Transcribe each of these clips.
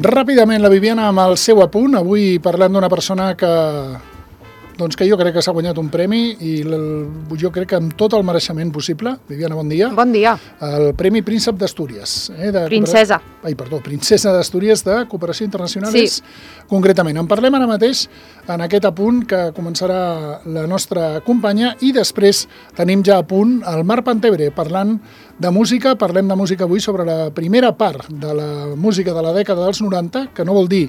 Ràpidament, la Viviana amb el seu apunt. Avui parlem d'una persona que jo crec que s'ha guanyat un premi i jo crec que amb tot el mereixement possible. Viviana, bon dia. Bon dia. El Premi Príncep d'Astúries. Princesa. Princesa d'Astúries de Cooperació Internacional. Sí. Concretament. En parlem ara mateix en aquest apunt que començarà la nostra companya i després tenim ja a punt el Marc Pantebre parlant de música. Parlem de música avui sobre la primera part de la música de la dècada dels 90, que no vol dir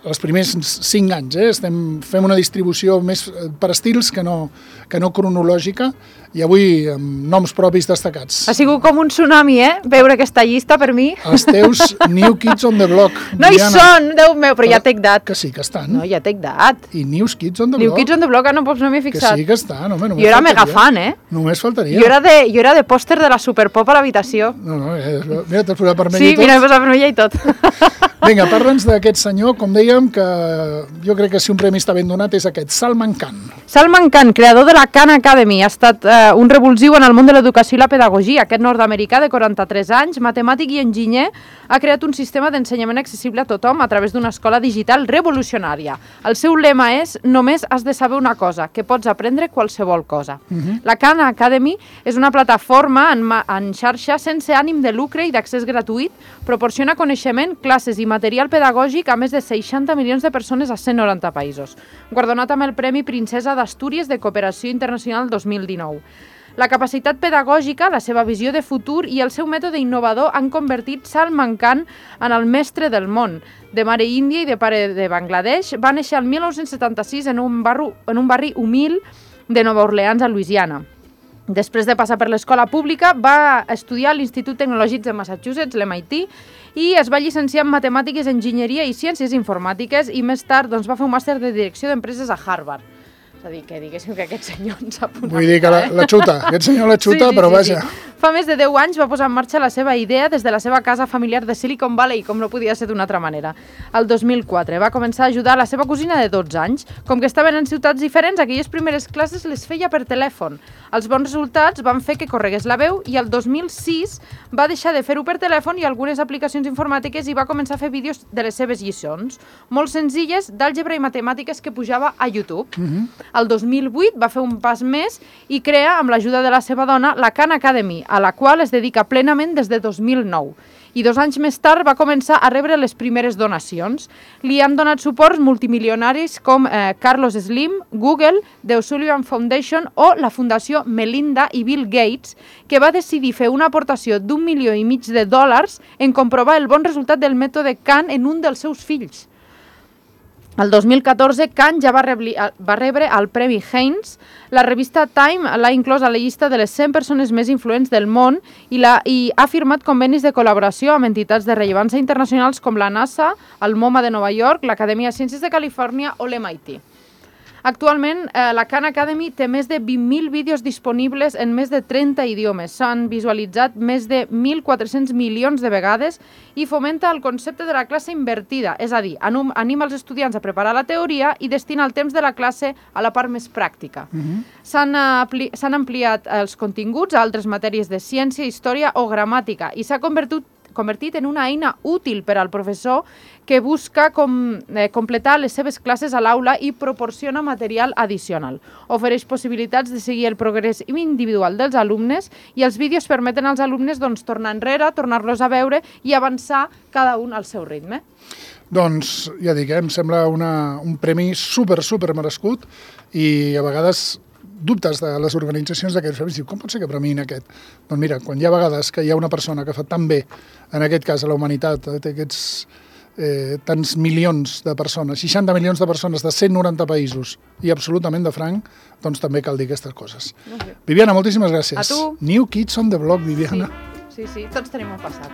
els primers 5 anys, fem una distribució més per estils que no cronològica, i avui amb noms propis destacats. Ha sigut com un tsunami, veure aquesta llista per mi. Els teus New Kids on the Block. No hi són, Déu meu, però ja t'he dat. Que sí que estan. No, ja t'he dat. I New Kids on the Block. New Kids on the Block, no m'he fixat. Que sí que estan, home, només jo era mega fan, Només faltaria. Jo era de pòster de la Superpop a l'habitació. No, mira, t'has posat vermella i tot. Sí, mira, m'he posat vermella i tot. Vinga, parla'ns d'aquest senyor, com dèiem, que jo crec que si un premi està ben donat és aquest, Salman Khan. Salman Khan, creador de la Khan Academy, ha estat un revulsiu en el món de l'educació i la pedagogia. Aquest nord-americà de 43 anys, matemàtic i enginyer, ha creat un sistema d'ensenyament accessible a tothom a través d'una escola digital revolucionària. El seu lema és: només has de saber una cosa, que pots aprendre qualsevol cosa. La Khan Academy és una plataforma en xarxa sense ànim de lucre i d'accés gratuït, proporciona coneixement, classes i material pedagògic a més de 60 milions de persones a 190 països. Guardonat amb el Premi Princesa d'Astúries de Cooperació Internacional 2019. La capacitat pedagògica, la seva visió de futur i el seu mètode innovador han convertit Salman Khan en el mestre del món. De mare índia i de pare de Bangladesh, va néixer el 1976 en un barri humil de Nova Orleans, a Louisiana. Després de passar per l'escola pública, va estudiar a l'Institut Tecnològic de Massachusetts, l'MIT, i es va llicenciar en Matemàtiques, Enginyeria i Ciències Informàtiques i més tard va fer un màster de Direcció d'Empreses a Harvard. És a dir, que diguéssim que aquest senyor ens ha posat. Vull dir que la xuta, aquest senyor la xuta, però vaja. Fa més de 10 anys va posar en marxa la seva idea des de la seva casa familiar de Silicon Valley, com no podia ser d'una altra manera. El 2004 va començar a ajudar la seva cosina de 12 anys. Com que estaven en ciutats diferents, aquelles primeres classes les feia per telèfon. Els bons resultats van fer que corregués la veu i el 2006 va deixar de fer-ho per telèfon i algunes aplicacions informàtiques i va començar a fer vídeos de les seves lliçons, molt senzilles, d'àlgebra i matemàtiques que pujava a YouTube. El 2008 va fer un pas més i crea, amb l'ajuda de la seva dona, la Khan Academy, a la qual es dedica plenament des de 2009. I 2 anys més tard va començar a rebre les primeres donacions. Li han donat suports multimilionaris com Carlos Slim, Google, The O'Sullivan Foundation o la Fundació Melinda i Bill Gates, que va decidir fer una aportació d'1,5 milió de dòlars en comprovar el bon resultat del mètode Khan en un dels seus fills. El 2014, Khan ja va rebre el Premi Heinz. La revista Time l'ha inclòs a la llista de les 100 persones més influents del món i ha firmat convenis de col·laboració amb entitats de rellevància internacionals com la NASA, el MoMA de Nova York, l'Acadèmia de Ciències de Califòrnia o l'MIT. Actualment, la Khan Academy té més de 20.000 vídeos disponibles en més de 30 idiomes. S'han visualitzat més de 1.400 milions de vegades i fomenta el concepte de la classe invertida, és a dir, anima els estudiants a preparar la teoria i destina el temps de la classe a la part més pràctica. S'han ampliat els continguts a altres matèries de ciència, història o gramàtica i s'ha convertit en una eina útil per al professor que busca completar les seves classes a l'aula i proporciona material addicional. Ofereix possibilitats de seguir el progrés individual dels alumnes i els vídeos permeten als alumnes tornar enrere, tornar-los a veure i avançar cada un al seu ritme. Doncs ja dic, em sembla un premi super merescut i a vegades dubtes de les organitzacions d'aquests premis. Com pot ser que premiïn aquest? Doncs mira, quan hi ha vegades que hi ha una persona que fa tan bé, en aquest cas a la humanitat, té aquests tants milions de persones, 60 milions de persones de 190 països i absolutament de franc, doncs també cal dir aquestes coses. Viviana, moltíssimes gràcies. A tu. New Kids on the Block, Viviana. Sí, tots tenim un passat,